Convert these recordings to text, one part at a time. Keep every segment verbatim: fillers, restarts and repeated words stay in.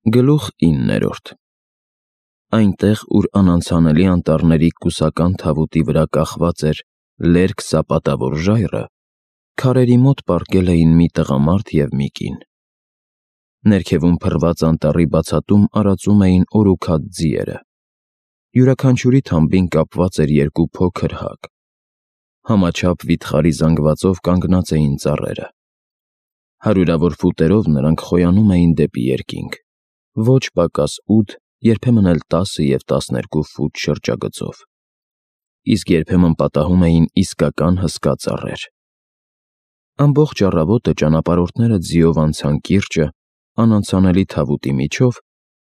Գլուխ իններորդ Այնտեղ, ուր անանցանելի անտառների կուսական թավուտի վրա կախված էր լերկ սապատավոր ժայռը, քարերի մոտ պառկել էին մի տղամարդ և մի կին։ Ներքևում փռված անտառի բացատում արածում էին օրուքած ձիերը։ Յուրաքանչյուրի թամբին կապված էր երկու փոքր հակ։ Համաչափ վիթխարի զանգվածով կանգնած էին ծառերը։ Հարյուրավոր ֆուտերով նրանք խոյանում էին դեպի երկինք, ոչ պակաս ութ, երբեմն էլ տասը և տասներկու ֆուտ շրջագծով, իսկ երբեմն պատահում էին իսկական հսկա ծառեր։ Ամբողջ առավոտը ճանապարհորդները ձիով անցան կիրճը, անանցանելի թավուտի միջով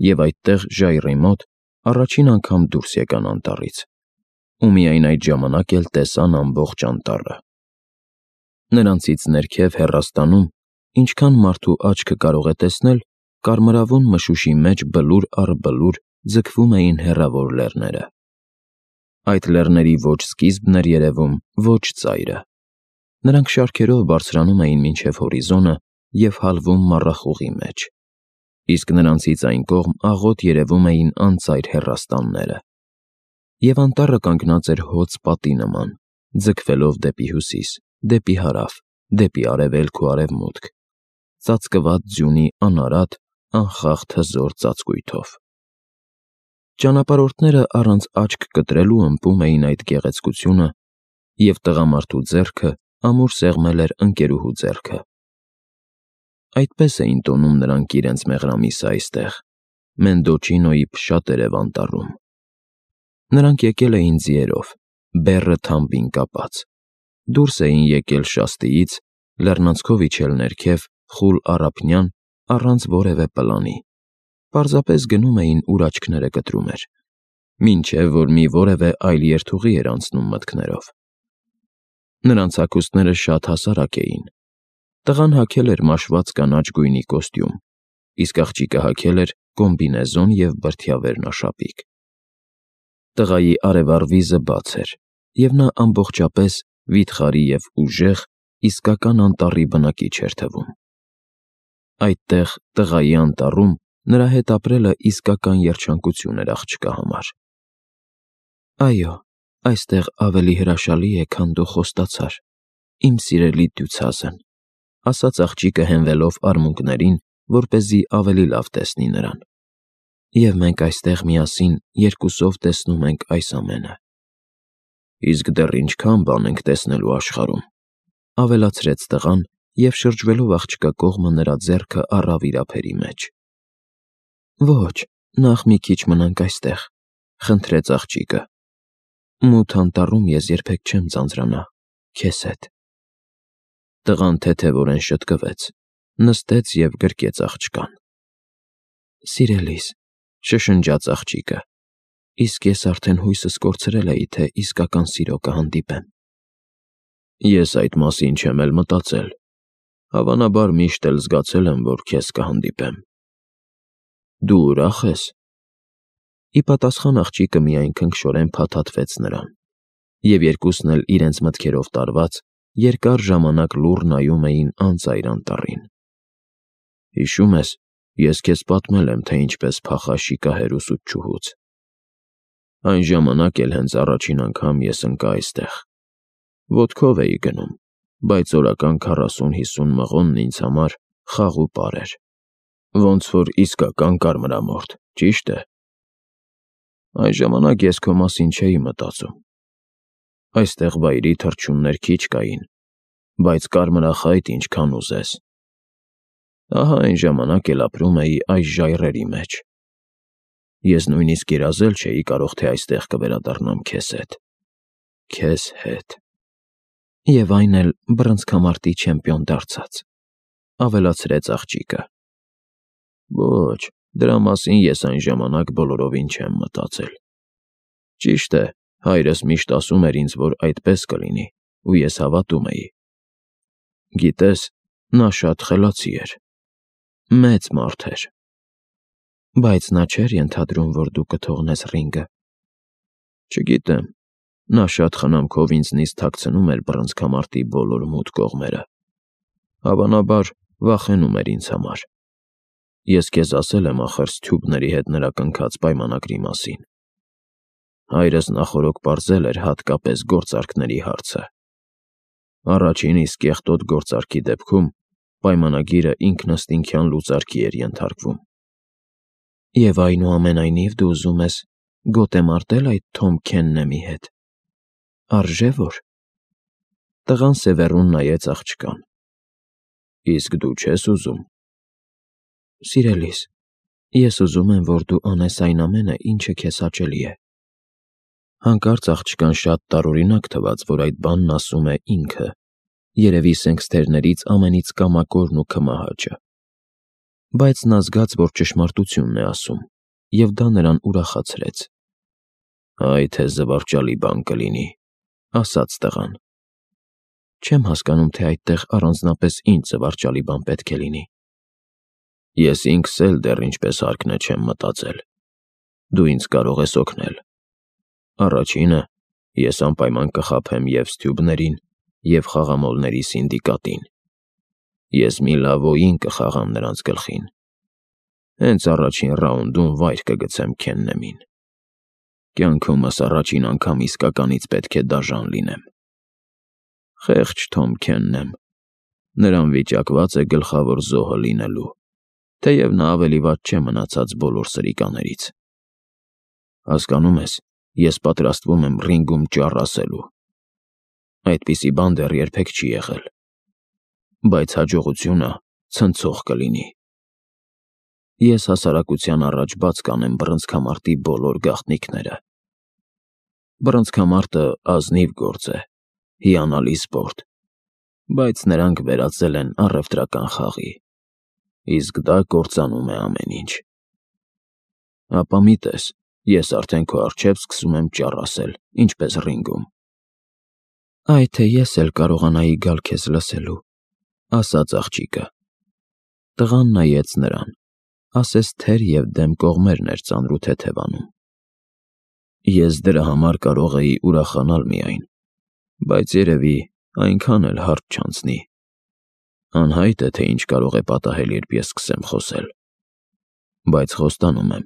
և այդտեղ, ժայռի մոտ, առաջին անգամ դուրս եկան անտառից, ու միայն այդ ժամանակ էլ տեսան ամբողջ անտառը։ Նրանցից ներքև հեռաստանում, ինչքան մարդու աչքը կարող է տեսնել, կարմրավուն մշուշի մեջ բլուր առ բլուր ձգվում էին հեռավոր լեռները։ Այդ լեռների ոչ սկիզբն էր երևում, ոչ ծայրը։ Նրանք շարքերով բարձրանում էին մինչև հորիզոնը և հալվում մառախուղի մեջ, իսկ նրանցից այն կողմ աղոտ երևում էին անծայր հեռաստանները։ Եվ անտառը կանգնած էր հոծ պատի նման, ձգվելով դեպի հյուսիս, դեպի հարավ, դեպի արևելք ու արևմուտք, ծածկված ձյունի անարատ, անխախտ հզոր ծածկույթով։ Ճանապարհորդները առանց աչք կտրելու ըմպում էին այդ գեղեցկությունը, և տղամարդու ձեռքը ամուր սեղմել էր ընկերուհու ձեռքը։ Այդպես էին տոնում նրանք իրենց մեղրամիսը այստեղ, Մենդոչինոյի փշատ երև անտառում։ Նրանք եկել էին ձիերով, բեռը թամբին կապած, դուրս էին եկել շաստիից, լեռնանցքով իջել ներքև, խուլ առափնյան, առանց որևէ պլանի, պարզապես գնում էին, ուր աչքները կտրում էր, մինչև որ մի որևէ այլ երթուղի էր անցնում մտքներով։ Նրանց հագուստները շատ հասարակ էին։ Տղան հագել էր մաշված կանաչ գույնի կոստյում, իսկ աղջիկը հագել էր կոմբինեզոն և բրդյա վերնաշապիկ։ Տղայի արևառ վիզը բաց էր, և նա ամբողջապես վիթխարի և ուժեղ, իսկական անտառի բնակիչ էր թվում։ Այդտեղ, տղայի անտառում, նրա հետ ապրելը իսկական երջանկություն էր աղջկա համար։ Այո, այստեղ ավելի հրաշալի է, քան դու խոստացար, իմ սիրելի դյուցազն, ասաց աղջիկը հենվելով արմունկներին, որպեսզի ավելի լավ տեսնի նրան։ Եվ մենք այստեղ միասին երկուսով տեսնում ենք այս ամենը։ Իսկ դեռ ինչքան բան ենք տեսնելու աշխարհում, ավելացրեց տղան և շրջվելով աղջկա կողմը նրա ձեռքը առավ իր ափերի մեջ։ Ոչ, նախ մի քիչ մնանք այստեղ, խնդրեց աղջիկը։ Մութ անտառում ես երբեք չեմ ձանձրանա քեզ հետ։ Տղան թեթևորեն շտկվեց, նստեց և գրկեց աղջկան։ Սիրելիս, շշնջաց աղջիկը, իսկ ես արդեն հույսս կորցրել էի, թե իսկական սիրո կհանդիպեմ։ Ես այդ մասին չեմ էլ մտածել, հավանաբար միշտ էլ զգացել եմ, որ քեզ կհանդիպեմ։ Դու ուրախ ես։ Ի պատասխան աղջիկը միայն քնքշորեն փաթաթվեց նրան, և երկուսն էլ իրենց մտքերով տարված, երկար ժամանակ լուռ նայում էին անծայր անտառին։ Հիշո՞ւմ ես, ես քեզ պատմել եմ, թե ինչպես փախա շիկահեր ուսուցչուհուց։ Այն ժամանակ էլ հենց առաջին անգամ ես ընկա այստեղ։ Ոտքով էի գնում, բայց օրական քառասուն-հիսուն մղոնն ինձ համար խաղ ու պար էր, ոնց որ իսկական կարմրամորթ, ճիշտ է։ Այն ժամանակ ես քո մասին չէի մտածում։ Այստեղ վայրի թռչուններ քիչ կային, բայց կարմրախայտ ինչքան ուզես։ Ահա այն ժամանակ էլ ապրում էի այս ժայռերի մեջ։ Ես նույնիսկ երազել չէի կարող, թե այստեղ կվերադառնամ քեզ հետ։ Քեզ հետ։ Եվ այն էլ բռնցքամարտի չեմպիոն դարձած, ավելացրեց աղջիկը։ Ոչ, դրա մասին ես այն ժամանակ բոլորովին չեմ մտածել։ Ճիշտ է, հայրս միշտ ասում էր ինձ, որ այդպես կլինի, ու ես հավատում էի։ Գիտես, նա շատ խելացի էր։ Մեծ մարդ էր։ Բայց նա չէր ենթադրում, որ դու կթողնես ռինգը։ Չգիտեմ, նա շատ խնամքով ինձնից թաքցնում էր բռնցքամարտի բոլոր մութ կողմերը։ Հավանաբար, վախենում էր ինձ համար։ Ես քեզ ասել եմ ախր Սթյուբների հետ նրա կնքած պայմանագրի մասին։ Հայրս նախօրոք պարզել էր հատկապես գործարքների հարցը։ Առաջին իսկ կեղտոտ գործարքի դեպքում պայմանագիրը ինքնըստինքյան լուծարքի էր ենթարկվում։ Եվ այնուամենայնիվ դու ուզում ես գոտե մարտել այդ Թոմ Քեննեմի հետ։ Արժե՞ որ։ Տղան սևեռուն նայեց աղջկան։ Իսկ դու չես ուզում։ Սիրելիս, ես ուզում եմ, որ դու անես այն ամենը, ինչը քեզ հաճելի է։ Հանկարծ աղջկան շատ տարօրինակ թվաց, որ այդ բանն ասում է ինքը, երևի սենքսթերներից ամենից կամակորն ու քմահաճը։ Բայց նա զգաց, որ ճշմարտությունն է ասում, և դա նրան ուրախացրեց։ Այ թե զվարճալի բան կլինի, ասաց տղան։ Չեմ հասկանում, թե այդտեղ առանձնապես ինչ զվարճալի բան պետք է լինի։ Ես ինքս էլ դեռ ինչպես հարկն է չեմ մտածել։ Դու ինձ կարող ես օգնել։ Առաջինը, ես անպայման կխաբեմ և Սթյուբներին, և խաղամոլների սինդիկատին։ Ես մի լավ օին կխաղամ նրանց գլխին։ Հենց առաջին ռաունդում վայր կգցեմ Քեննեմին։ Կյանքումս առաջին անգամ իսկականից պետք է դաժան լինեմ։ Խեղճ Թոմ Քեննեմ, նրան վիճակված է գլխավոր զոհը լինելու, թեև նա ավելի վատ չէ մնացած բոլոր սրիկաներից։ Հասկանում ես, ես պատրաստվում եմ ռինգում ճառ ասելու։ Այդպիսի բան դեռ երբեք չի եղել։ Բայց հաջողությունը ցնցող կլինի։ Ես հասարակության առաջ բաց կանեմ բռնցքամարտի բոլոր գաղտնիքները։ Բռնցքամարտը ազնիվ գործ է, հիանալի սպորտ, բայց նրանք վերածել են առևտրական խաղի, իսկ դա կործանում է ամեն ինչ։ Ապա մի տես, ես արդեն քո առջև սկսում եմ ճառ ասել, ինչպես ռինգում։ Այ թե ես էլ կարողանայի գալ քեզ լսելու, ասաց աղջիկը։ Տղան նայեց նրան, ասես թեր և դեմ կողմերն էր ծանրու թեթևանում։ Ես դրա համար կարող էի ուրախանալ միայն, բայց երևի այնքան էլ հարթ չանցնի։ Անհայտ է, թե ինչ կարող է պատահել, երբ ես սկսեմ խոսել։ Բայց խոստանում եմ,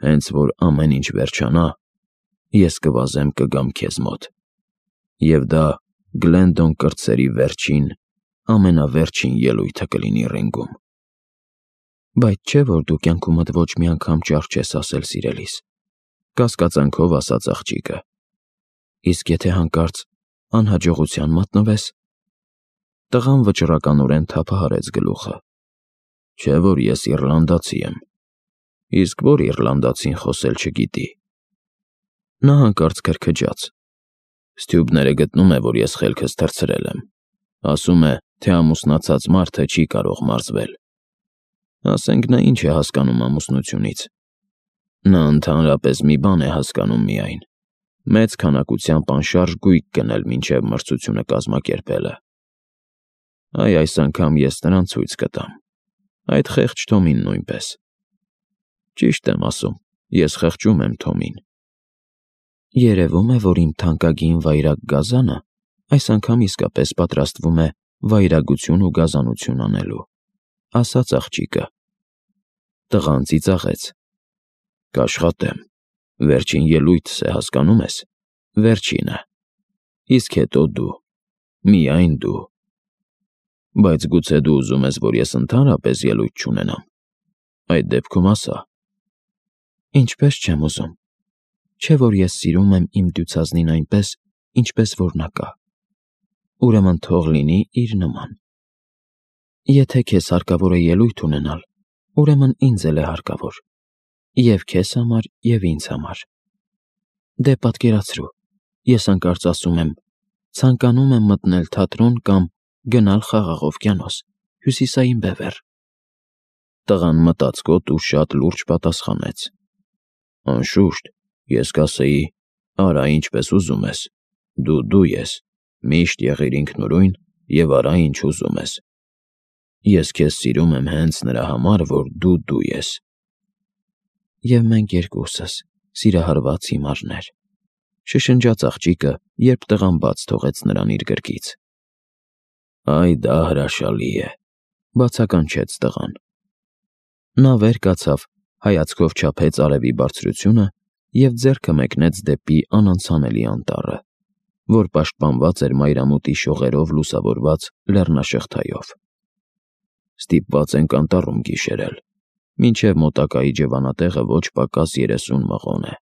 հենց որ ամեն ինչ վերջանա, ես կվազեմ կգամ քեզ մոտ։ Եվ դա Գլենդոն կրտսերի վերջին, ամենավերջին ելույթը կլինի ռինգում։ Բայց չէ՞ որ դու կյանքումդ ոչ մի անգամ ճառ չես ասել, սիրելիս, կասկածանքով ասաց աղջիկը։ Իսկ եթե հանկարծ անհաջողության մատնվես։ Տղան վճռականորեն թափահարեց գլուխը։ Չէ՞ որ ես իռլանդացի եմ։ Իսկ որ իռլանդացին խոսել չգիտի։ Նա հանկարծ քրքջաց։ Սթյուբները գտնում է, որ ես խելքս թռցրել եմ։ Ասում է, թե ամուսնացած մարդը չի կարող մարզվել։ Ասենք նա ինչ է հասկանում ամուսնությունից։ Նա ընդհանրապես մի բան է հասկանում միայն. մեծ քանակությամբ անշարժ գույք գնել մինչև մրցությունը կազմակերպելը։ Այ այս անգամ ես նրան ցույց կտամ։ Այդ խեղճ Թոմին նույնպես։ Ճիշտ եմ ասում, ես խղճում եմ Թոմին։ Երևում է, որ իմ թանկագին վայրագ գազանը այս անգամ իսկապես պատրաստվում է վայրագություն ու գազանություն անելու, ասաց աղջիկը։ Տղան ծիծաղեց։ Կաշխատեմ։ Վերջին ելույթս է, հասկանում ես։ Վերջինը։ Իսկ հետո դու։ Միայն դու։ Բայց գուցե դու ուզում ես, որ ես ընդհանրապես ելույթ չունենամ։ Այդ դեպքում ասա։ Ինչպես չեմ ուզում։ Չէ՞ որ ես սիրում եմ իմ դյուցազնին այնպես, ինչպես որ նա կա։ Ուրեմն թող լինի իր նման։ Եթե քեզ հարկավոր է ելույթ ունենալ, ուրեմն ինձ էլ է հարկավոր։ Եվ քեզ համար, և ինձ համար։ Դե պատկերացրու, ես հանկարծ ասում եմ. ցանկանում եմ մտնել թատրոն կամ գնալ խաղաղ օվկիանոս, հյուսիսային բևեռ։ Տղան մտածկոտ ու շատ լուրջ պատասխանեց. Անշուշտ, ես կասեի, արա ինչպես ուզում ես, դու դու ես, միշտ եղիր ինքնուրույն և արա ինչ ուզում ես։ Ես քեզ սիրում եմ հենց նրա համար, որ դու դու ես։ Եվ մենք երկուսս, սիրահարված հիմարներ, շշնջաց աղջիկը, երբ տղան բաց թողեց նրան իր գրկից։ Այ դա հրաշալի է, բացականչեց տղան։ Նա վեր կացավ, հայացքով չափեց արևի բարձրությունը և ձեռքը մեկնեց դեպի անանցանելի անտառը, որ պաշտպանված էր մայրամուտի շողերով լուսավորված լեռնաշղթայով։ Ստիպված ենք անտառում գիշերել, մինչև մոտակա իջևանատեղը ոչ պակաս երեսուն մղոն է։